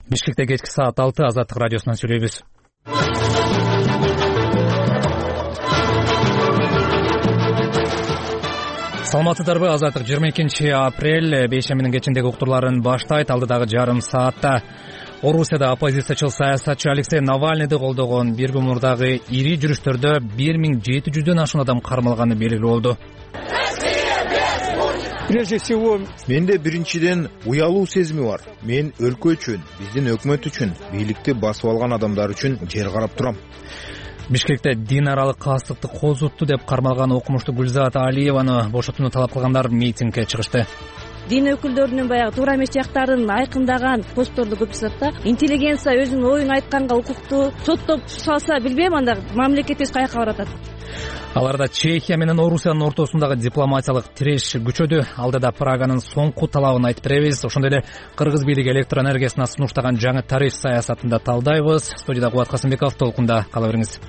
Бишкекте кечки саат 6 Азаттык радиосунан сүйлөйбүз. Саламатсыздарбы? Азаттык 22 апрель бейшембинин кечиндеги уктурларын баштайт. Алдыдагы жарым саатта Орусияда оппозициячыл саясатчы Алексей Навальныйды колдогон бир күн мурдагы ири жүрүштөрдө 1700дөн ашуун адам кармалганы белгилүү болду. Прежде всего, менде биринчиден уялуу сезими бар. Мен өлкө үчүн, биздин өкмөт үчүн, бийликти басып алган адамдар үчүн жер карап турам. Бишкекте дин аралык каассыздыкты козутту деп кармалган окумуштуу Гүлзат Алиеваны бошотууну талап кылгандар митингге чыгышты. Дин өкүлдөрүнүн баягы туура эмес жактарын айкындаган постторду көп жазат да. Интеллигенция өзүнүн оюн айтканга укуктуу, соттоп салса билбейм, анда мамлекетибиз каяка баратат. Аларда Чехия менен Орусиянын ортосундагы дипломатиялык тиреш күчөдү. Алдыда Праганын соңку талабын айтып беребиз. Ошондой эле кыргыз бийлиги электр энергиясына сунуштаган жаңы тариф саясатын да талдайбыз. Студияда Кубат Касымбеков, толкунда кала бериңиз.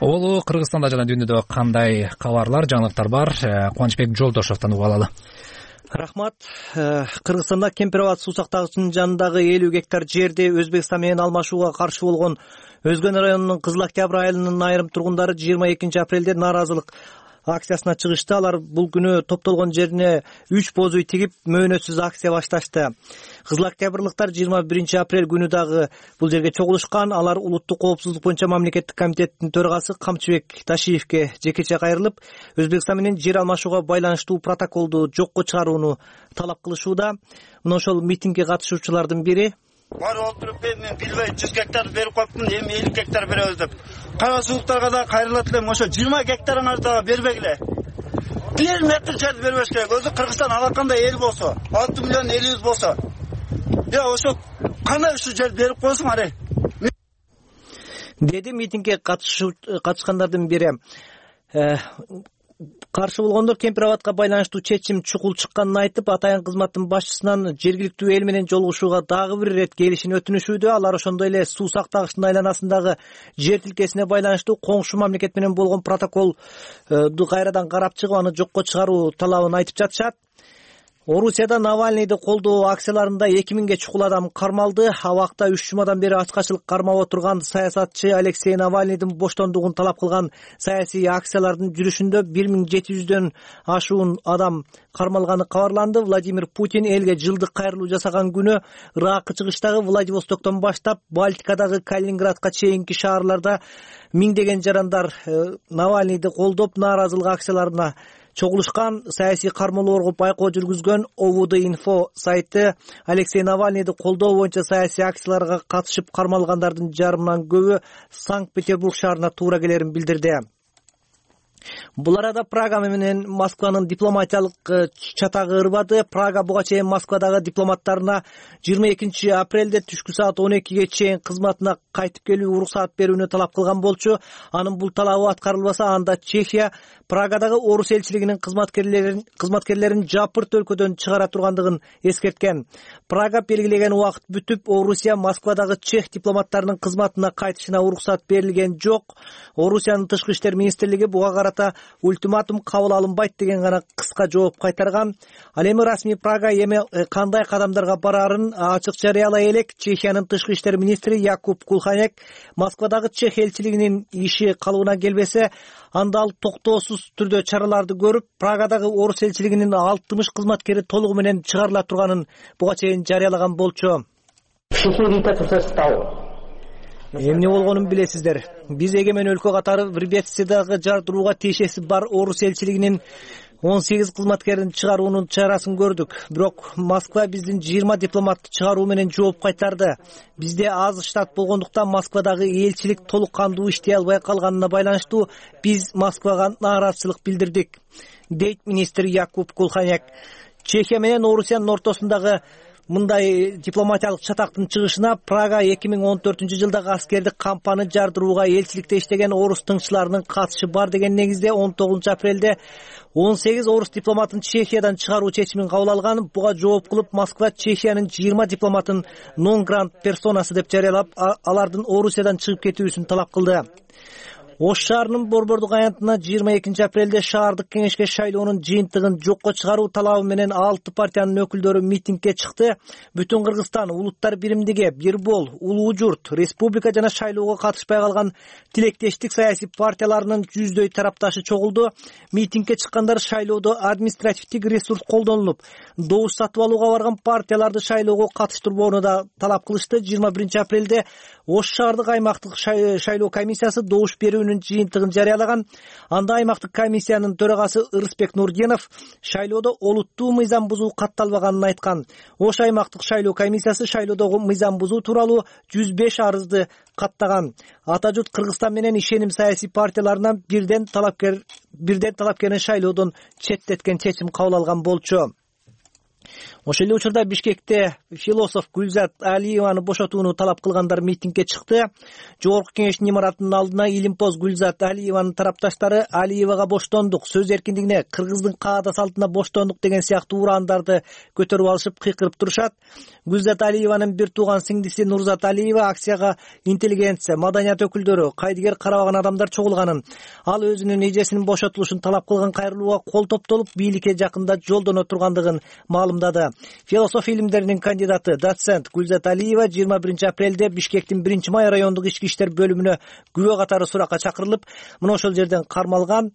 Олу Кыргызстанда жана дүйнөдө кандай кабарлар, жаңылыктар бар? Кубанычбек Жолдошовдон угуп алалы. Рахмат. Кыргызстанда Кемпир абад суу сактагычынын жанындагы 50 гектар жерди Өзбекстан менен алмашууга каршы болгон Өзгөн районунун Кызыл Октябрь айылынын айрым тургундары 22 апрелде нааразылык акциясына чыгышты. Алар бул күнү топтолгон жерине 3 боз үй тигип мөөнөтсүз акция башташты. Кызыл Октябрлыктар 21 апрель күнү дагы бул жерге чогулушкан. Алар улуттук коопсуздук боюнча мамлекеттик комитеттин төрагасы Камчыбек Ташиевке жекече кайрылып, Өзбекстан менен жер алмашууга байланыштуу протоколду жокко чыгарууну талап кылышууда. Мына ошол митингге катышуучулардын бири: Бар олтуруп мен билбей 100 гектар берип коюптмун, эми 50 гектар беребиз деп. Кара суулуктарга да кайрылат элем, ошо 20 гектарыңарды да бербегиле. 1 метр жер бербеш керек. Өзү Кыргызстан алакандай эл болсо, 6 миллион элибиз болсо, ошо кандай ушу жер берип койсуң аре. Деди митингге катышкандардын бири. Каршы болгондор Кемпир абадка байланыштуу чечим чукул чыкканын айтып, атайын кызматтын башчысынан жергиликтүү эл менен жолугушууга дагы бир ирет келишин өтүнүшүүдө. Алар ошондой эле суу сактагычтын айланасындагы жер тилкесине байланыштуу коңшу мамлекет менен болгон протоколду кайрадан карап чыгып, аны жокко чыгаруу талабын айтып жатышат. Орусияда Навальныйды колдоо акцияларында 2000ге чукул адам кармалды. Абакта 3 жумадан бери ачкачылык кармап отурган саясатчы Алексей Навальныйдын боштондугун талап кылган саясий акциялардын жүрүшүндө 1700дөн ашуун адам кармалганы кабарланды. Владимир Путин элге жылдык кайрылуу жасаган күнү ыракы чыгыштагы Владивостоктон баштап Балтикадагы Калининградка чейинки шаарларда миңдеген жарандар Навальныйды колдоп нааразылык акцияларына чогулушкан. Саясий кармоолорго байкоо жүргүзгөн OVD-Info сайты Алексей Навальныйды колдоо боюнча саясий акцияларга катышып кармалгандардын жарымынан көбү Санкт-Петербург шаарына туура келерин билдирди. Бул арада Прага менен Москванын дипломатиялык чатагы ырбады. Прага буга чейин Москвадагы дипломаттарына 22 апрелде түшкү саат 12ге чейин кызматына кайтып келүү уруксаат берүүнү талап кылган болчу. Анын бул талабы аткарылбаса, анда Чехия Прагадагы Орус элчилигинин кызматкерлерин жапырт өлкөдөн чыгара тургандыгын эскерткен. Прага белгилеген убакыт бүтүп, Орусия Москвадагы чех дипломаттарынын кызматына кайтышына уруксаат берилген жок. Орусиянын тышкы иштер министрлиги буга карата ультиматум кабыл алынбайт деген гана кыска жооп кайтарган. Ал эми расмий Прага эми кандай кадамдарга барарын ачык жарыялай элек. Чехиянын тышкы иштер министри Якуб Кулханек Москвадагы чех элчилигинин иши калыбына келбесе, анда ал токтоосуз түрдө чараларды көрүп, Прагадагы Орус элчилигинин 60 кызматкери толугу менен чыгарыла турганын буга чейин жарыялаган болчу. Эмне болгонун билесиздер. Биз эгемен өлкө катары Врбецдагы жардырууга тиешеси бар Орус элчилигинин 18 кызматкерин чыгаруунун чарасын көрдүк. Бирок Москва биздин 20 дипломатты чыгаруу менен жооп кайтарды. Бизде аз штат болгондуктан Москвадагы элчилик толук кандуу иштей албай калганына байланыштуу биз Москвага нааразычылык билдирдик, дейт министр Якуб Кулханек. Чехия менен Орусиянын ортосундагы мындай дипломатиялык чатактын чыгышына Прага 2014-жылдагы аскердик кампаны жардырууга элчиликте иштеген орус тыңчыларынын катышы бар деген негизде 19 апрелде 18 орус дипломатын Чехиядан чыгаруу чечимин кабыл алган. Буга жооп кылып Москва Чехиянын 20 дипломатын non grant персонасы деп жарыялап, алардын Орусиядан чыгып кетүүсүн талап кылды. Ош шаарынын Борбордук аянтына 22 апрелде шаардык кеңешке шайлоонун жыйынтыгын жокко чыгаруу талабы менен 6 партиянын өкүлдөрү митингге чыкты. Бүтүн Кыргызстан, Улуттар биримдиги, Бирбол, Улуу Журт, Республика жана шайлоого катышпай калган тилектештик саясий партияларынын жүздөй тарапташы чогулду. Митингге чыккандар шайлоодо административдик ресурс колдонулуп, добуш сатып алууга барган партияларды шайлоого катыштырбоону да талап кылышты. 21 апрелде Ош шаардык аймактык шайлоо комиссиясы добуш берүүнүн жыйынтыгын жарыялаган. Анда аймактык комиссиянын төрагасы Ырысбек Нурденов шайлоодо олуттуу мыйзам бузуу катталбаганын айткан. Ош аймактык шайлоо комиссиясы шайлоодогу мыйзам бузуу тууралуу 105 арызды каттаган. Ата журт Кыргызстан менен ишеним саясий партияларынан бирден талапкерин шайлоодон четтеткен чечим кабыл алган болчу. Ошол эле учурда Бишкекте философ Гүлзат Алиеваны бошотууну талап кылгандар митингге чыкты. Жогорку кеңештин имаратынын алдына илимпоз Гүлзат Алиеванын тарапташтары Алиевага боштондук, сөз эркиндигине, кыргыздын каада салтына боштондук деген сыяктуу ураандарды көтөрүп алышып кыйкырып турушат. Гүлзат Алиеванын бир тууган сиңдиси Нурзат Алиева акцияга интеллигенция, маданият өкүлдөрү, кайдыгер карабаган адамдар чогулганын, ал өзүнүн эжесинин бошотулушун талап кылган кайрылууга кол топтолуп, бийликке жакында жолдоно тургандыгын маалымдады. Философия илимдеринин кандидаты доцент Гүлзат Алиева 21 апрелде Бишкектин 1-Май райондук ички иштер бөлүмүнө күбө катары суракка чакырылып, мына ошол жерден кармалган.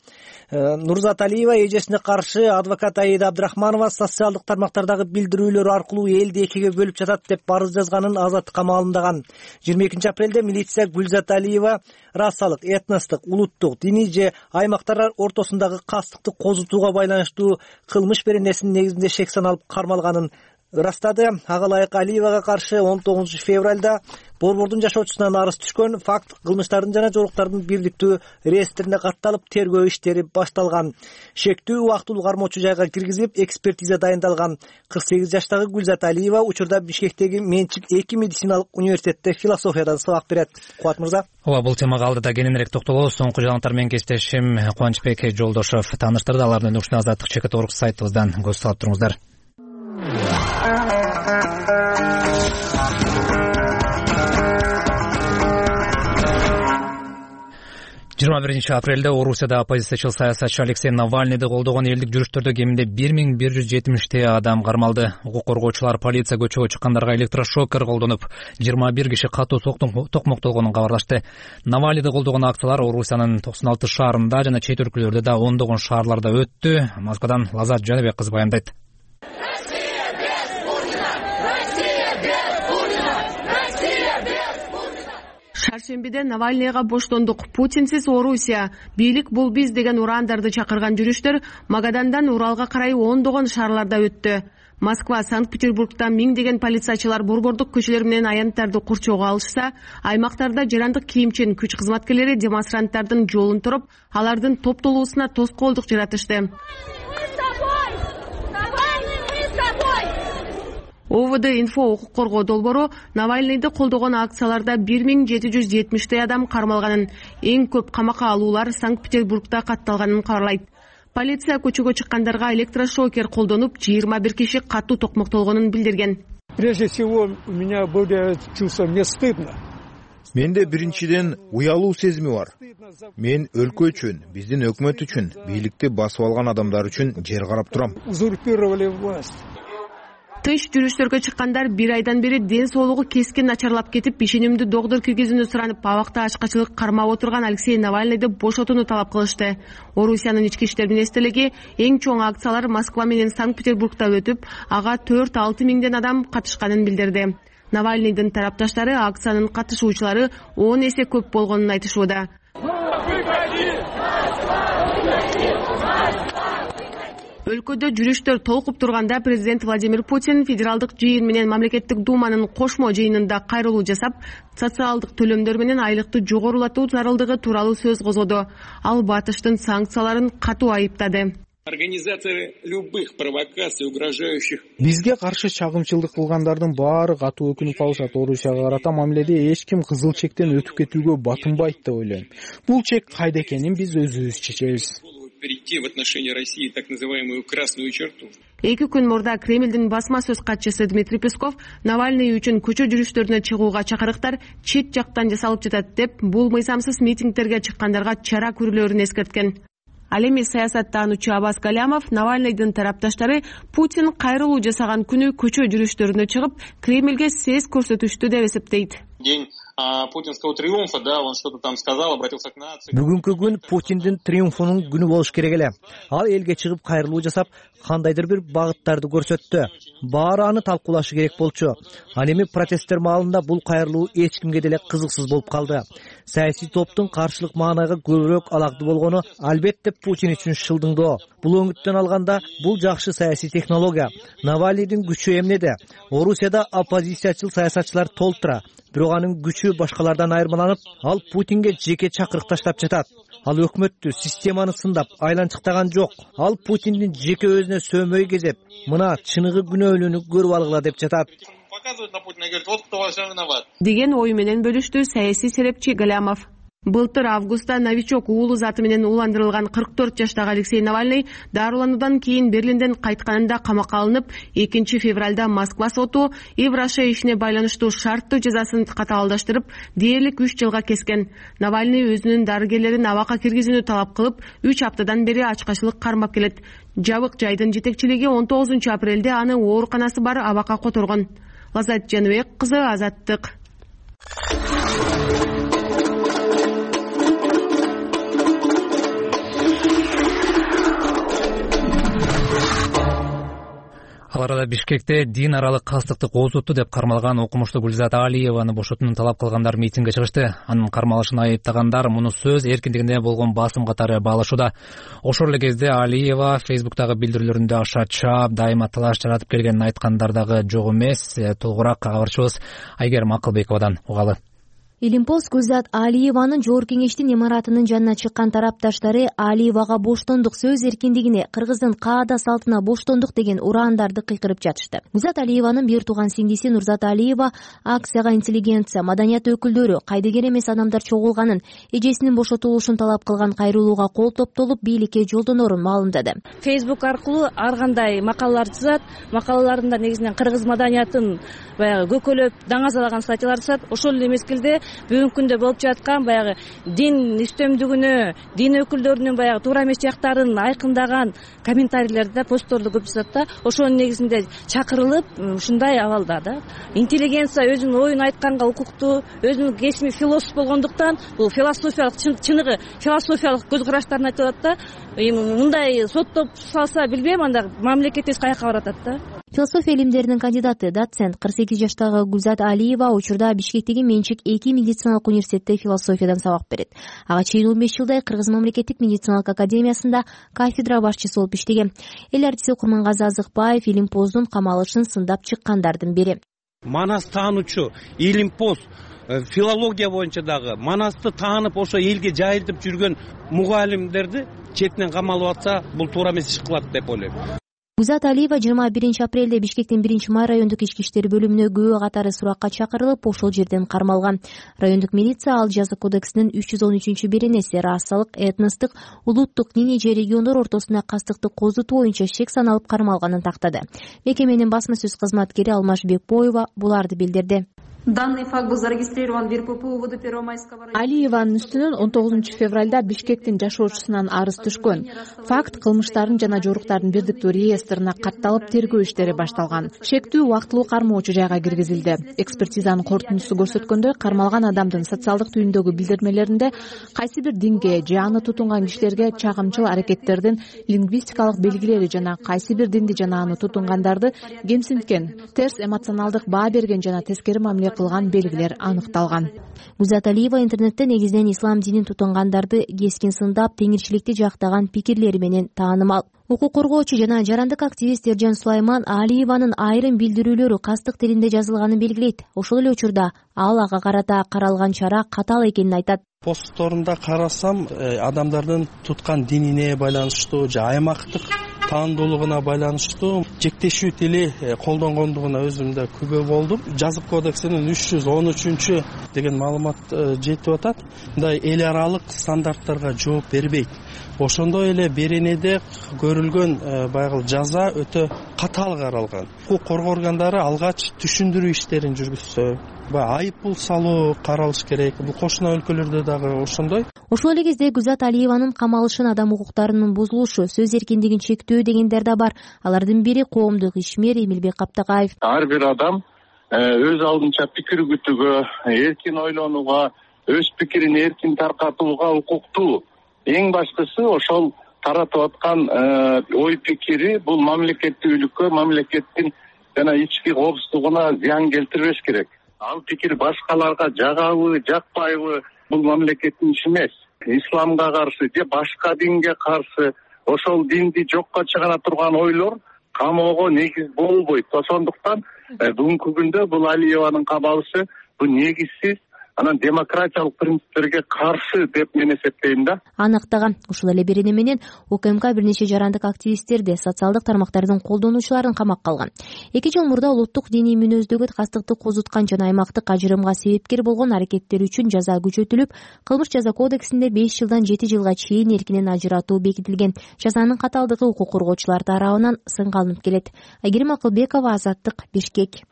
Нурзат Алиева эжесине каршы адвокат Аида Абдрахманова социалдык тармактардагы билдирүүлөр аркылуу элди экиге бөлүп жатат деп арыз жазганын Азаттыкка маалымдаган. 22 апрелде милиция Гүлзат Алиева расалык, этностук, улуттук, диний же аймактар ортосундагы кастыкты козутууга байланыштуу кылмыш беренесинин негизинде шек саналып кармалганын ырастады. Ага ылайык Алиевага каршы 19 февралда Борбордун жашоочусунан арыз түшкөн. Факт кылмыштардын жана жоруктардын бирликтүү реестрине катталып, тергөө иштери башталган. Шектүү убактылуу кармоочу жайга киргизилип, экспертиза дайындалган. 48 жаштагы Гүлзат Алиева учурда Бишкектеги Менчик 2 медициналык университетте философиядан сабак берет. Кубат мырза. Ооба, бул темага алдыда кененирээк токтолобуз. Соңку жаңылыктар менен кесиптешим Кубанычбек Жолдошов тааныштырды. Алардын ушуна Азаттык ЧК.org сайтыбыздан көз салып туруңуздар. 21 апрелде Орусияда оппозициячыл саясатчы Алексей Навальныйды колдогон элдик жүрүштөрдө кеминде 1170 адам кармалды. Укук коргоочулар полиция көчөгө чыккандарга электрошокер колдонуп, 21 киши катуу токмоктолгонун кабарлашты. Навальныйды колдогон акциялар Орусиянын 96 шаарында жана чет өлкөлөрдө да ондогон шаарларда өттү. Москвадан Лазат Жаныбек кызы баяндайт. Шаршембиде Навальныйга боштондук, Путинсиз Орусия, бийлик бул биз деген ураандарды чакырган жүрүштөр Магадандан Уралга карай ондогон шаарларда өттү. Москва, Санкт-Петербургда миңдеген полициячылар борбордук көчөлөр менен аянттарды курчоого алышса, аймактарда жарандык кийимчен күч кызматкерлери демонстранттардын жолун туруп, алардын топтолуусуна тоскоолдук жаратышты. ОВД инфо укук коргоо долбоору Навальныйды колдогон акцияларда 1770 адам кармалганын, эң көп камакка алуулар Санкт-Петербургда катталганын кабарлайт. Полиция көчөгө чыккандарга электрошокер колдонуп, 21 киши катуу токмоктолгонун билдирген. Прежде всего, у меня было чувство, мне стыдно. Менде биринчиден уялуу сезими бар. Мен өлкө үчүн, биздин өкмөт үчүн, бийликти басып алган адамдар үчүн жер карап турам. Узурпировали власть. Тынч жүрүштөргө чыккандар бир айдан бери ден соолугу кескин начарлап кетип, ишенимдүү доктор киргизүүнү суранып, абакта ачкачылык кармап отурган Алексей Навальныйды бошотууну талап кылышты. Орусиянын ички иштер министрлиги эң чоң акциялар Москва менен Санкт-Петербургда өтүп, ага 4-6 миңден адам катышканын билдирди. Навальныйдын тарапташтары акциянын катышуучулары 10 эсе көп болгонун айтышууда. Өлкөдө жүрүштөр толкуп турганда президент Владимир Путин федералдык жыйын менен мамлекеттик думанын кошмо жыйынында кайрылуу жасап, социалдык төлөмдөр менен айлыкты жогорулатуу зарылдыгы тууралуу сөз козгоду. Ал батыштын санкцияларын катуу айыптады. Организаторы любых провокаций, угрожающих. Бизге каршы чагымчылдык кылгандардын баары катуу өкүнүп калышат. Орусияга карата мамиледе эч ким кызыл чектен өтүп кетүүгө батынбайт деп ойлойм. Бул чек кайда экенин биз өзүбүз чечебиз. Перейти в отношении России так называемую красную черту. 2 күн мурда Кремлдин басма сөз катчысы Дмитрий Песков Навальный үчүн көчө жүрүштөрүнө чыгууга чакырыктар чет жактан жасалып жатат деп, бул мыйзамсыз митингдерге чыккандарга чара көрүлөрүн эскерткен. Ал эми саясаттануучу Аббас Галямов Навальныйдын тарапташтары Путин кайрылуу жасаган күнү көчө жүрүштөрүнө чыгып, Кремлге сес көрсөтүштү деп эсептейт. День путинского триумфа, да, он что-то там сказал, обратился к нации. Бүгүнкү күн Путиндин триумфунун күнү болуш керек эле. Ал элге чыгып кайрылуу жасап, кандайдыр бир багыттарды көрсөттү. Баары аны талкуулашы керек болчу. Ал эми протесттер маалында бул кайрылуу эч кимге деле кызыксыз болуп калды. Саясий топтун каршылык маанайга көбүрөөк алакты болгону албетте Путин үчүн шылдыңдоо. Бул өңүттөн алганда бул жакшы саясий технология. Навальныйдын күчү эмнеде? Орусияда оппозициячыл саясатчылар толтура. Бирок анын күчү башкалардан айырмаланып, ал Путинге жеке чакырык таштап жатат. Ал өкмөттү, системаны сындап, айланчыктаган жок. Ал Путиндин жеке өзүнө сөөмөй кезеп, мына чыныгы күнөөлүүнү көрүп алгыла деп жатат. Показывают на Путина и говорят, вот кто во всем виноват. Деген ой менен бөлүштү саясий серепчи Галямов. Былтыр августта новичок уулу заты менен ууландырылган 44 жаштагы Алексей Навальный дарылануудан кийин Берлинден кайтканында камакка алынып, 2 февралда Москва соту Евраша ишине байланыштуу шарттуу жазасын катаалдаштырып, дээрлик 3 жылга кескен. Навальный өзүнүн дарыгерлерин абакка киргизүүнү талап кылып, 3 аптадан бери ачкачылык кармап келет. Жабык жайдын жетекчилиги 19 апрелде аны ооруканасы бар абакка которгон. Лазат Жаныбек кызы, Азаттык. Ал арада Бишкекте дин аралык кастыкты козутту деп кармалган окумуштуу Гүлзат Алиеваны бошотууну талап кылгандар митингге чыгышты. Анын кармалышын айыптагандар муну сөз эркиндигине болгон басым катары баалашууда. Ошол эле кезде Алиева Фейсбуктагы билдирүүлөрүндө аша чаап, дайыма талаш жаратып келгенин айткандар дагы жок эмес. Толугураак кабарчыбыз Айгерим Акылбековадан угалы. Илимпост Гүлзат Алиеванын Жогорку кеңештин имаратынын жанына чыккан тарапташтары Алиевага боштондук, сөз эркиндигине, кыргыздын каада салтына боштондук деген ураандарды кыйкырып жатышты. Гүлзат Алиеванын бир тууган сиңдиси Нурзат Алиева акцияга интеллигенция, маданият өкүлдөрү, кайдыгер эмес адамдар чогулганын, эжесинин бошотулушун талап кылган кайрылууга кол топтолуп, бийликке жолдонорун маалымдады. Facebook аркылуу ар кандай макалалар жазат, макалаларында негизинен кыргыз маданиятын баягы көкөлөп, даңазалаган статьялар жазат. Ошол эле мезгилде бүгүнкү күндө болуп жаткан баягы дин үстөмдүгүнө, дин өкүлдөрүнүн баягы туура эмес жактарын айкындаган комментарийлерди, постторду көп жазат да. Ошонун негизинде чакырылып, ушундай абалда да. Интеллигенция өзүнүн оюн айтканга укуктуу, өзүнүн кесми философ болгондуктан, бул философиялык чыныгы философиялык көз караштарын айтып атат да. Мындай соттоп салса билбейм, анда мамлекетибиз каяка баратат да. Философия илимдеринин кандидаты, доцент 48 жаштагы Гүлзат Алиева учурда Бишкектеги менчик 2 медициналык университетте философиядан сабак берет. Ага чейин 15 жылдай Кыргыз мамлекеттик медициналык академиясында кафедра башчысы болуп иштеген. Эл артисти Курмангазы Азыкбаев Илимпоздун камалышын сындап чыккандардын бири. Манас таануучу Илимпоз филология боюнча дагы Манасты таанып ошо элге жайылтып жүргөн мугалимдерди четинен камалып атса, бул туура эмес иш кылат деп ойлойм. Гүлзат Алиева 21 апрелде Бишкектин 1-май райондук ички иштер бөлүмүнө күбө катары суракка чакырылып, ошол жерден кармалган. Райондук милиция ал жаза кодексинин 313-беренеси расалык, этностук, улуттук, диний же региондор ортосуна кастыкты козутуу боюнча шек саналып кармалганын тактады. Мекеменин басма сөз кызматкери Алмаш Бекбоева буларды билдирди. Данный факт был зарегистрирован в РПП УВД Первомайского района. Алиеванын үстүнөн 19 февралда Бишкектин жашоочусунан арыз түшкөн. Факт кылмыштардын жана жоруктардын бирдиктүү реестрине катталып, тергөө иштери башталган. Шектүү убактылуу кармоочу жайга киргизилди. Экспертизанын корутундусу көрсөткөндөй, кармалган адамдын социалдык түйүндөгү билдирмелеринде кайсы бир динге же аны тутунган кишилерге чагымчыл аракеттердин лингвистикалык белгилери жана кайсы бир динди жана аны тутунгандарды кемсинткен, терс эмоционалдык баа берген жана тескери мамиле кылган белгилер аныкталган. Гүлзат Алиева интернетте негизинен ислам динин тутунгандарды кескин сындап, теңирчиликти жактаган пикирлери менен таанымал. Укук коргоочу жана жарандык активист Эржан Сулайман Алиеванын айрым билдирүүлөрү кастык тилинде жазылганын белгилейт. Ошол эле учурда ал ага карата каралган чара катаал экенин айтат. Постторунда карасам, адамдардын туткан динине байланыштуу же аймактык таандуулугуна байланыштуу жектешүү тили колдонгондугуна өзүм да күбө болдум. Жазык кодексинин 313 деген маалымат жетип атат. Мындай эл аралык стандарттарга жооп бербейт. Ошондой эле беренеде көрүлгөн баягы жаза өтө катаал каралган. Укук коргоо органдары алгач түшүндүрүү иштерин жүргүзсө, баягы айып пул салуу каралыш керек. Бул кошуна өлкөлөрдө дагы ошондой. Ошол эле кезде Гүзат Алиеванын камалышын адам укуктарынын бузулушу, сөз эркиндигин чектөө дегендер да бар. Алардын бири коомдук ишмер Эмилбек Каптакаев. Ар бир адам өз алдынча пикир күтүүгө, эркин ойлонууга, өз пикирин эркин таркатууга укуктуу. Эң баштысы ошол таратып аткан ой пикири бул мамлекеттүүлүккө, мамлекеттин жана ички коопсуздугуна зыян келтирбеш керек. Ал пикир башкаларга жагабы, жакпайбы, бул мамлекеттин иши эмес. Исламга каршы же башка динге каршы ошол динди жокко чыгара турган ойлор камоого негиз болбойт. Ошондуктан бүгүнкү күндө бул Алиеванын кабалышы бул негизсиз, анан демократиялык принциптерге каршы деп мен эсептейм да. Аныктаган ушул эле берене менен УКМК бир нече жарандык активисттерди, социалдык тармактардын колдонуучуларын камакка алган. 2 жыл мурда улуттук диний мүнөздөгү кастыктык козуткан жана аймактык ажырымга себепкер болгон аракеттер үчүн жаза күчөтүлүп, кылмыш жаза кодексинде 5 жылдан 7 жылга чейин эркинен ажыратуу бекитилген. Жазанын катаалдыгы укук коргоочулар тарабынан сынга алынып келет. Айгерим Акылбекова, Азаттык, Бишкек.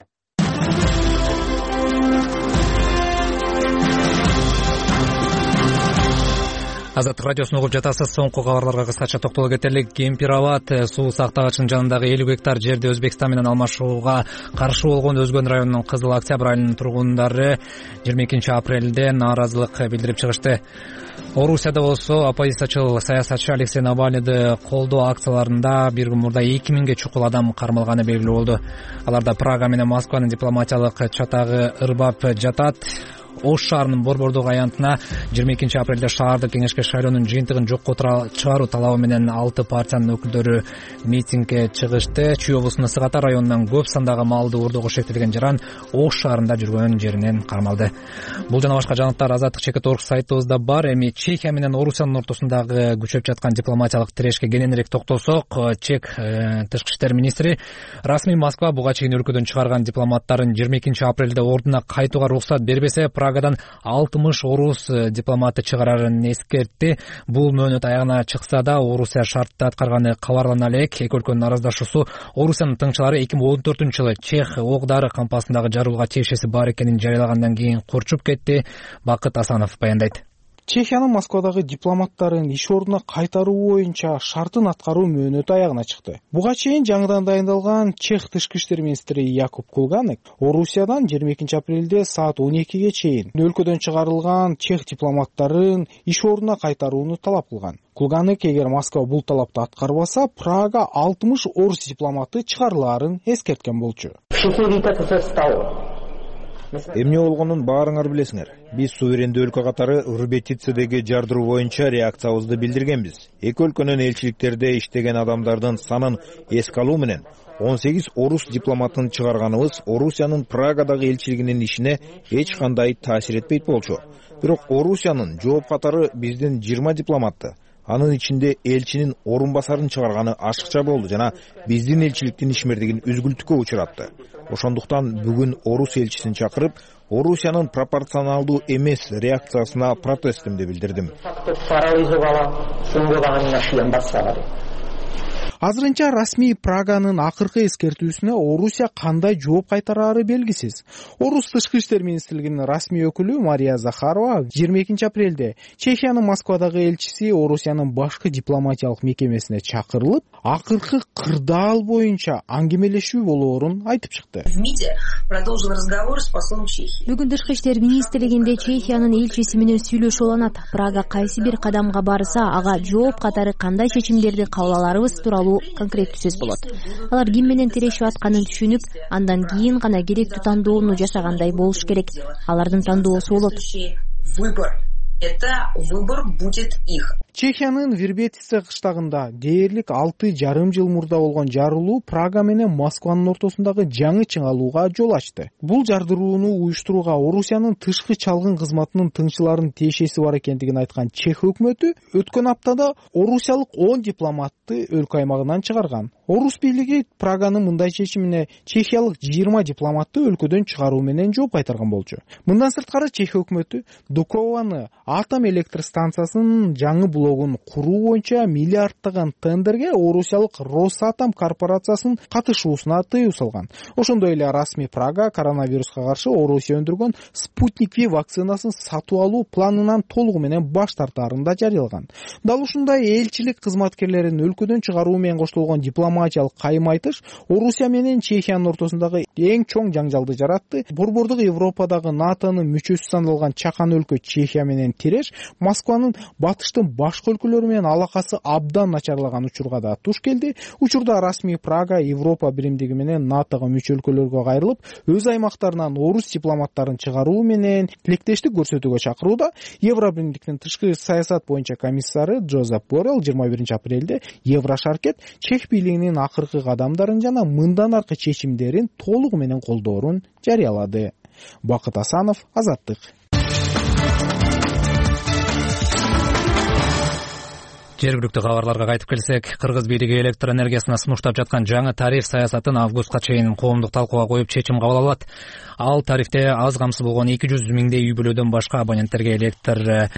Азаттык радиосун угуп жатасыз. Соңку кабарларга кыскача токтоло кетелик. Кемпир-Абад суу сактагычынын жанындагы 50 гектар жерди Өзбекстан менен алмашууга каршы болгон Өзгөн районунун Кызыл Октябрь айылынын тургундары 22 апрелде нааразылык билдирип чыгышты. Орусияда болсо оппозициячыл саясатчы Алексей Навальныйды колдоо акцияларында бир күн мурда 2000ге чукул адам кармалганы белгилүү болду. Аларда Прага менен Москванын дипломатиялык чатагы ырбап жатат. Ош шаарынын Борбордук аянтына 22 апрелде шаардык кеңешке шайлоонун жыйынтыгын жокко чыгаруу талабы менен 6 партиянын өкүлдөрү митингге чыгышты. Чүй облусунун Ысык Ата районунан көп сандагы малды уурдоого шектелген жаран Ош шаарында жүргөн жеринен кармалды. Бул жана башка жаңылыктар Азаттык.org сайтыбызда бар. Эми Чехия менен Орусиянын ортосундагы күчөп жаткан дипломатиялык тирешке кененирээк токтолсок, Чех тышкы иштер министри расмий Москва буга чейин өлкөдөн чыгарган дипломаттарын 22 апрелде ордуна кайтууга уруксат бербесе, Прагадан 60 орус дипломаты чыгарарын эскертти. Бул мөөнөт аягына чыкса да, Орусия шартты аткарганы кабарлана элек. Эки өлкөнүн араздашуусу Орусиянын тыңчылары 2014-жылы Чех ок-дары кампасындагы жарылууга тиешеси бар экенин жарыялагандан кийин курчуп кетти. Бакыт Асанов баяндайт. Чехиянын Москвадагы дипломаттарын иш ордуна кайтаруу боюнча шартын аткаруу мөөнөтү аягына чыкты. Буга чейин жаңыдан дайындалган Чех тышкы иштер министри Якуб Кулганек Орусиядан 22 апрелде саат 12ге чейин өлкөдөн чыгарылган чех дипломаттарын иш ордуна кайтарууну талап кылган. Кулганек эгер Москва бул талапты аткарбаса, Прага 60 орус дипломаты чыгарылаарын эскерткен болчу. Эмне болгонун баарыңар билесиңер. Биз суверендүү өлкө катары Рубетицедеги жардыруу боюнча реакциябызды билдиргенбиз. Эки өлкөнүн элчиликтерде иштеген адамдардын санын эске алуу менен 18 орус дипломатын чыгарганыбыз Орусиянын Прагадагы элчилигинин ишине эч кандай таасир этпейт болчу. Бирок Орусиянын жооп катары биздин 20 дипломатты, анын ичинде элчинин орун басарын чыгарганы ашыкча болду жана биздин элчиликтин ишмердигин үзгүлтүккө учуратты. Ошондуктан бүгүн орус элчисин чакырып, Орусиянын пропорционалдуу эмес реакциясына протестимди билдирдим. Азырынча расмий Праганын акыркы эскертүүсүнө Орусия кандай жооп кайтарары белгисиз. Орус тышкы иштер министрлигинин расмий өкүлү Мария Захарова 22 апрелде Чехиянын Москвадагы элчиси Орусиянын башкы дипломатиялык мекемесине чакырылып, акыркы кырдаал боюнча аңгемелешүү болоорун айтып чыкты. Бүгүн тышкы иштер министрлигинде Чехиянын элчиси менен сүйлөшүү уланат. Прага кайсы бир кадамга барса, ага жооп катары кандай чечимдерди кабыл аларыбыз тууралуу конкреттүү сөз болот. Алар ким менен тирешип атканын түшүнүп, андан кийин гана керектүү тандоону жасагандай болуш керек. Алардын тандоосу болот. Это выбор будет их. Чехиянын Вербетице кыштагында дээрлик 6,5 жыл мурда болгон жарылуу Прага менен Москванын ортосундагы жаңы чыңалууга жол ачты. Бул жардырууну уюштурууга Орусиянын тышкы чалгын кызматынын тыңчыларынын тиешеси бар экендигин айткан Чех өкмөтү өткөн аптада орусиялык 10 дипломатты өлкө аймагынан чыгарган. Орус бийлиги Праганын мындай чечимине чехиялык 20 дипломатты өлкөдөн чыгаруу менен жооп кайтарган болчу. Мындан сырткары Чех өкмөтү Дукованы атом электр станциясынын жаңы блогун куруу боюнча миллиарддаган тендерге орусиялык Росатом корпорациясынын катышуусуна тыюу салган. Ошондой эле расмий Прага коронавируска каршы Орусия өндүргөн Спутник V вакцинасын сатып алуу планынан толугу менен баш тартаарын да жарыялаган. Дал ушундай элчилик кызматкерлерин өлкөдөн чыгаруу менен коштолгон дипломатиялык кайым-айтыш Орусия менен Чехиянын ортосундагы эң чоң жаңжалды жаратты. Борбордук Европадагы НАТОнун мүчөсү саналган чакан өлкө Чехия менен тиреш Москванын батыштын башка өлкөлөрү менен алакасы абдан начарлаган учурга да туш келди. Учурда расмий Прага Европа биримдиги менен НАТОго мүчө өлкөлөргө кайрылып, өз аймактарынан орус дипломаттарын чыгаруу менен тилектештик көрсөтүүгө чакырууда. Евробиримдиктин тышкы саясат боюнча комиссары Джозеф Боррелл 21 апрелде Еврошаркет Чех бийлигинин акыркы кадамдарын жана мындан аркы чечимдерин толугу менен колдоорун жарыялады. Бакыт Асанов, Азаттык. Жергиликтүү кабарларга кайтып келсек, кыргыз бийлиги электр энергиясына сунуштап жаткан жаңы тариф саясатын августка чейин коомдук талкууга коюп чечим кабыл алат. Ал тарифте аз камсыз болгон 200 миңдей үй бүлөдөн башка абоненттерге электр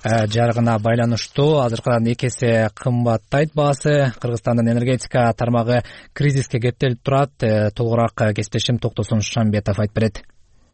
жарыгына байланыштуу азыркыдан 2 эсе кымбаттайт баасы. Кыргызстандын энергетика тармагы кризиске кептелип турат. Толугураак кесиптешим Токтосун Шамбетов айтып берет.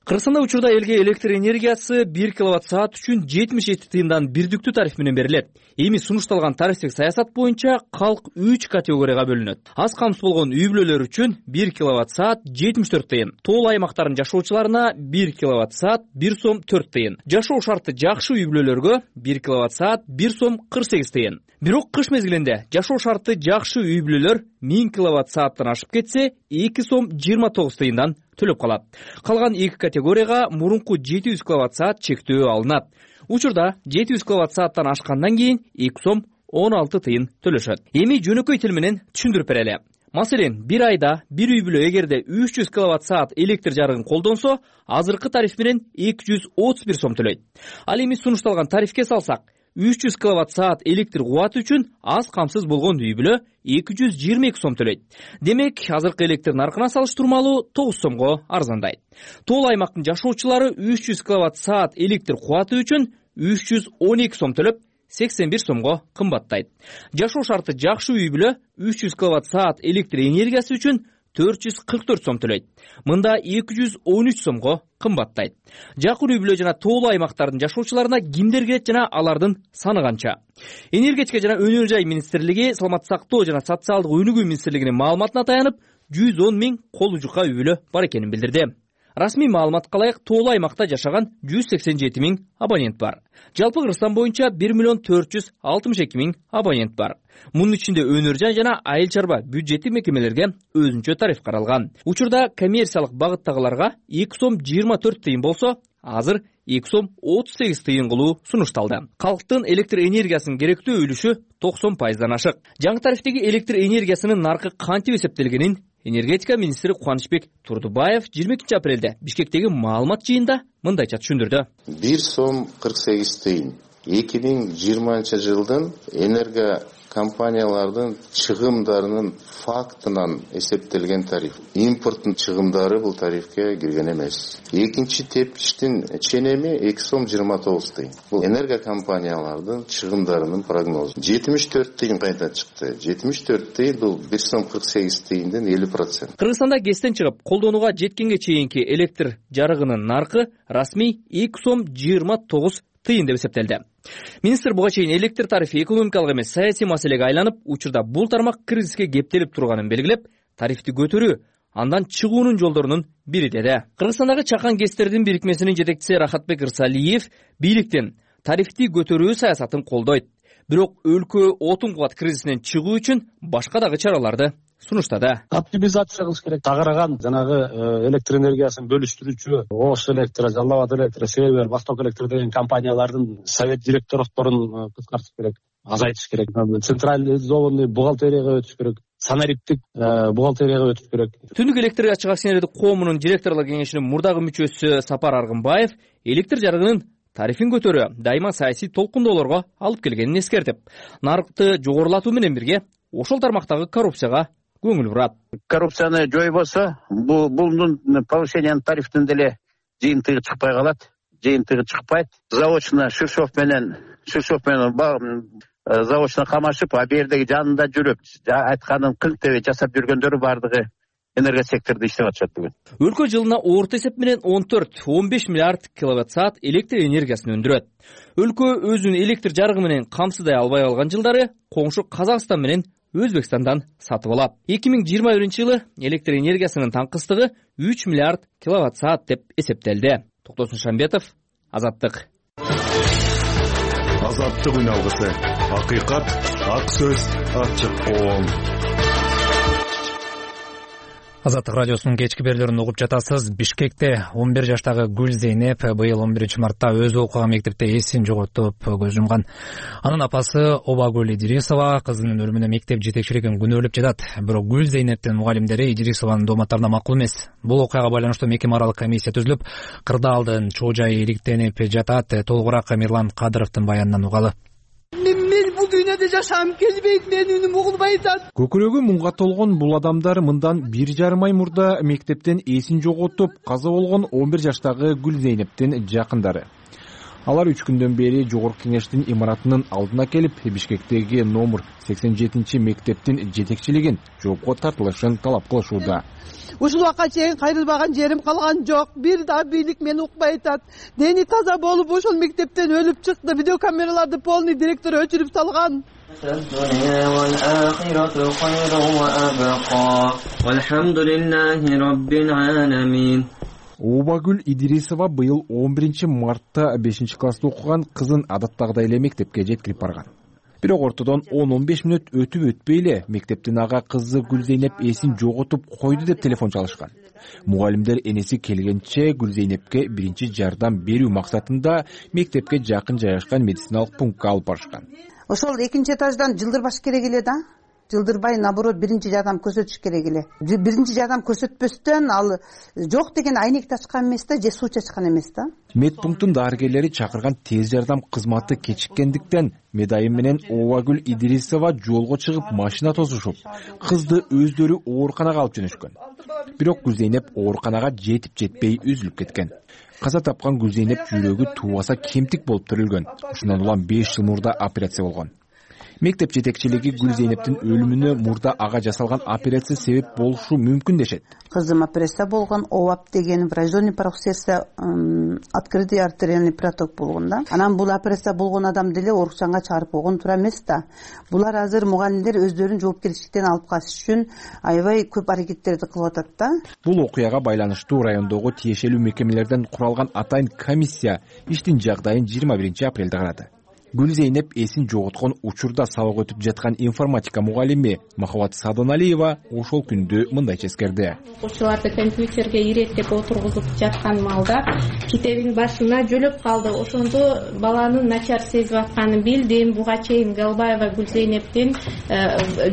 Кыргызстанда учурда элге электр энергиясы 1 киловатт-саат үчүн 77 тыйындан бирдиктүү тариф менен берилет. Эми сунушталган тарифтик саясат боюнча калк 3 категорияга бөлүнөт. Аз камсыз болгон үй бүлөлөр үчүн 1 киловатт-саат 74 тыйын, тоол аймактардын жашоочуларына 1 киловатт-саат 1 сом 4 тыйын, жашоо шарты жакшы үй бүлөлөргө 1 киловатт-саат 1 сом 48 тыйын. Бирок кыш мезгилинде жашоо шарты жакшы үй бүлөлөр 1000 киловатт-сааттан ашып кетсе 2 сом 29 тыйындан төлөп калат. Калган 2 категорияга мурунку 700 киловатт-саат чектөө алынат. Учурда 700 киловатт-сааттан ашкандан кийин 2 сом 16 тыйын төлөшөт. Эми жөнөкөй тил менен түшүндүрүп берели. Маселен, бир айда бир үй бүлө эгерде 300 киловатт-саат электр жарыгын колдонсо, азыркы тариф менен 231 сом төлөйт. Ал эми сунушталган тарифке салсак, 300 киловатт-саат электр кубаты үчүн аз камсыз болгон үй бүлө 222 сом төлөйт. Демек, азыркы электр наркына салыштырмалуу 9 сомго арзандайт. Тоол аймактын жашоочулары 300 киловатт-саат электр кубаты үчүн 312 сом төлөп, 81 сомго кымбаттайт. Жашоо шарты жакшы үй бүлө 300 киловатт-саат электр энергиясы үчүн 444 сом төлөйт. Мында 213 сомго кымбаттайт. Жакын үй бүлө жана тоол аймактардын жашоочуларына кимдер кирет жана алардын саны канча? Энергетика жана өнөр жай министрлиги, саламаттык сактоо жана социалдык өнүгүү министрлигинин маалыматына таянып, 110 миң колу жука үй бүлө бар экенин билдирди. Расмий маалыматка ылайык тоол аймакта жашаган 187 миң абонент бар. Жалпы Кыргызстан боюнча 1 миллион 462 миң абонент бар. Мунун ичинде өнөр жай жана айыл чарба бюджеттик мекемелерге өзүнчө тариф каралган. Учурда коммерциялык багыттагыларга 2 сом 24 тыйын болсо, азыр 2 сом 38 тыйын кылуу сунушталды. Калктын электр энергиясынын керектүү үлүшү 90%дан ашык. Жаңы тарифтеги электр энергиясынын наркы кантип эсептелгенин энергетика министри Кубанычбек Турдубаев 22 апрелде Бишкектеги маалымат жыйында мындайча түшүндүрдү. 1 сом 48 тыйын. 2020 жылдын энерго компаниялардын чыгымдарынын фактынан эсептелген тариф. Импорттун чыгымдары бул тарифке кирген эмес. Экинчи тепкичтин ченеми 2 сом 29 тыйын. Бул энерго компаниялардын чыгымдарынын прогнозу. 74 тыйын кайта чыкты. 74 тыйын бул 1 сом 48 тыйындын 50%. Кыргызстанда кестен чыгып, колдонууга жеткенге чейинки электр жарыгынын наркы расмий 2 сом 29 тыйын деп эсептелди. Министр буга чейин электр тарифи экономикалык эмес саясий маселеге айланып, учурда бул тармак кризиске кептелип турганын белгилеп, тарифти көтөрүү андан чыгуунун жолдорунун бири деди. Кыргызстандагы чакан кестердин бирикмесинин жетекчиси Рахатбек Ырсалиев бийликтин тарифти көтөрүү саясатын колдойт. Бирок өлкө отун кубат кризисинен чыгуу үчүн башка дагы чараларды сунуштады. Оптимизация кылыш керек. Тагыраган жанагы электр энергиясын бөлүштүрүүчү Ош электр, Жалал Абад электр, Север, Восток электр деген компаниялардын совет директорлорун кыскартыш керек, азайтыш керек. Централизованный бухгалтерияга өтүш керек. Санариптик бухгалтерияга өтүш керек. Түндүк электр ачык акционердик коомунун директорлор кеңешинин мурдагы мүчөсү Сапар Аргынбаев электр жарыгынын тарифин көтөрүү дайыма саясий толкундоолорго алып келгенин эскертип, нарыкты жогорулатуу менен бирге ошол тармактагы коррупцияга көңүл бурат. Коррупцияны жойбосо, бунун повышениянын тарифтин деле жыйынтыгы чыкпай калат. Жыйынтыгы чыкпайт. Заочно Шишов менен заводчуна камашып, а бердеги жанында жүрүп айтканын кыңтебей жасап жүргөндөрү баардыгы энергосектордо иштеп атышат бүгүн. Өлкө жылына орто эсеп менен 14-15 миллиард киловатт-саат электр энергиясын өндүрөт. Өлкө өзүн электр жарыгы менен камсыздай албай калган жылдары коңшу Казакстан менен Өзбекстандан сатып алат. 2021-жылы электр энергиясынын таңкыстыгы 3 миллиард киловатт-саат деп эсептелди. Токтосун Шамбетов, Азаттык. Азаттык үналгысы. Акыйкат, ак сөз, ачык коом. Азаттык радиосунун кечки берүүлөрүн угуп жатасыз. Бишкекте 11 жаштагы Гүлзейнеп быйыл 11-мартта өзү окуган мектепте эсин жоготуп көз жумган. Анын апасы Обагүл Идрисова кызынын өлүмүнө мектеп жетекчилигин күнөөлөп жатат. Бирок Гүлзейнептин мугалимдери Идрисованын дооматтарына макул эмес. Бул окуяга байланыштуу мекеме аралык комиссия түзүлүп, кырдаалдын чоо жайы иликтенип жатат. Толугураак Мирлан Кадыровдун баянынан угалы. Мен бул дүйнөдө жашагым келбейт, менин үнүм угулбай атат. Көкүрөгү муңга толгон бул адамдар мындан 1,5 ай мурда мектептен эсин жоготуп каза болгон 11 жаштагы Гүлзейнептин жакындары. Алар 3 күндөн бери жогорку кеңештин имаратынын алдына келип, Бишкектеги номер 87 мектептин жетекчилигин жоопко тартылышын талап кылышууда. Ушул убакка чейин кайрылбаган жерим калган жок. Бир да бийлик мени укпай атат. Дени таза болуп ошол мектептен өлүп чыкты. Видеокамераларды полный директор өчүрүп салган. Обагүл Идрисова быйыл 11-мартта 5-класста окуган кызын адаттагыдай эле мектепке жеткирип барган. Бирок ортодон 10-15 мүнөт өтүп өтпөй эле мектептин ага кызы Гүлзейнеп эсин жоготуп койду деп телефон чалышкан. Мугалимдер энеси келгенче Гүлзейнепке биринчи жардам берүү максатында мектепке жакын жайгашкан медициналык пунктка алып барышкан. Ошол экинчи этаждан жылдырбаш керек эле да. Жылдырбай, наоборот, биринчи жардам көрсөтүш керек эле. Биринчи жардам көрсөтпөстөн ал жок деген айнек ачкан эмес да, же суу чачкан эмес да. Медпунктун дарыгерлери чакырган тез жардам кызматы кечиккендиктен медайым менен Обагүл Идрисова жолго чыгып машина тосушуп, кызды өздөрү ооруканага алып жөнөшкөн. Бирок Гүлзейнеп ооруканага жетип жетпей үзүлүп кеткен. Каза тапкан Гүлзейнеп жүрөгү туубаса кемтик болуп төрөлгөн. Ушундан улам 5 жыл мурда операция болгон. Мектеп жетекчилиги Гүлзейнептин өлүмүнө мурда ага жасалган операция себеп болушу мүмкүн дешет. Кызым операция болгон, ОАП деген врожденный порог сердца, открытый артериальный проток болгон да. Анан бул операция болгон адам деле оорукчанга чыгарып койгон туура эмес да. Булар азыр мугалимдер өздөрүн жоопкерчиликтен алып калыш үчүн аябай көп аракеттерди кылып атат да. Бул окуяга байланыштуу райондогу тиешелүү мекемелерден куралган атайын комиссия иштин жагдайын 21 апрелде карады. Гүлзейнеп эсин жоготкон учурда сабак өтүп жаткан информатика мугалими Махабат Садоналиева ошол күндү мындайча эскерди. Окуучуларды компьютерге иреттеп отургузуп жаткан маалда китебин башына жөлөп калды. Ошондо баланын начар сезип атканын билдим. Буга чейин Галбаева Гүлзейнептин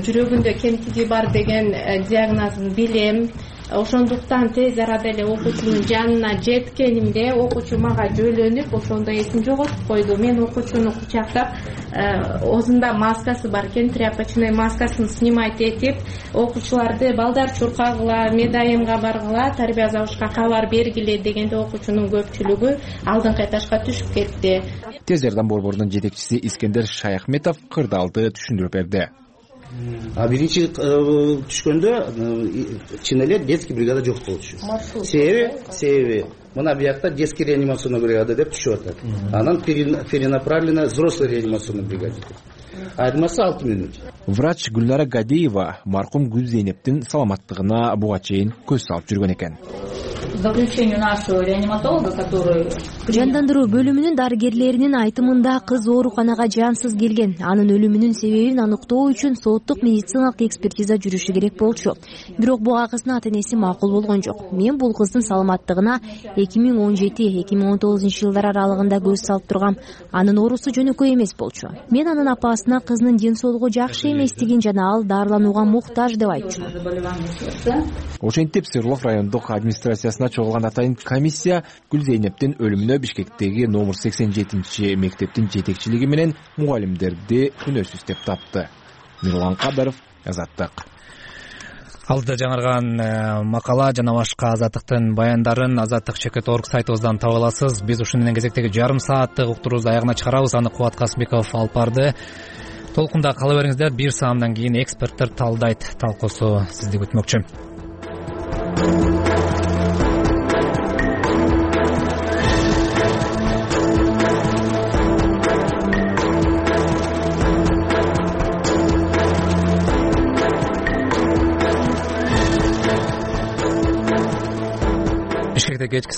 жүрөгүндө кемтиги бар деген диагнозун билем. Ошондуктан тез арада эле окуучунун жанына жеткенимде окуучу мага жөлөнүп, ошондо эсин жоготуп койду. Мен окуучуну кучактап, оозунда маскасы бар экен, тряпочный маскасын снимать этип, окуучуларды балдар чуркагыла, медайымга баргыла, тарбия завучка кабар бергиле дегенде окуучунун көпчүлүгү алдыңкы этажга түшүп кетти. Тез жардам борборунун жетекчиси Искендер Шаяхметов кырдаалды түшүндүрүп берди. Биринчи түшкөндө чын эле детский бригада жок болчу. Себеби мына биякта детский реанимационный бригада деп түшүп атат. Анан перенаправлена взрослый реанимационный бригада. Айырмасы 6 мүнөт. Врач Гүлнара Гадеева маркум Гүлзейнептин саламаттыгына буга чейин көз салып жүргөн экен. Заключению нашего реаниматолога, который жандандыруу бөлүмүнүн дарыгерлеринин айтымында кыз ооруканага жансыз келген. Анын өлүмүнүн себебин аныктоо үчүн соттук медициналык экспертиза жүрүшү керек болчу. Бирок буга кыздын ата энеси макул болгон жок. Мен бул кыздын саламаттыгына 2017-2019 жылдар аралыгында көз салып тургам. Анын оорусу жөнөкөй эмес болчу. Мен анын апасына кызынын ден соолугу жакшы эместигин жана ал дарыланууга муктаж деп айтчу. Ошентип Сырлов райондук администрациясына чогулган атайын комиссия Гүлзейнептин өлүмүнө Бишкектеги номер 87 мектептин жетекчилиги менен мугалимдерди күнөөсүз деп тапты. Мирлан Кадыров, Азаттык. Алдыда жаңырган макала жана башка Азаттыктын баяндарын azattik.org сайтыбыздан таба аласыз. Биз ушун менен кезектеги жарым сааттык уктуруубузду аягына чыгарабыз. Аны Кубат Касымбеков алып барды. толкунда кала бериңиздер. 1 саамдан кийин эксперттер талдайт талкуусу сизди күтмөкчү. Бишкекте кечки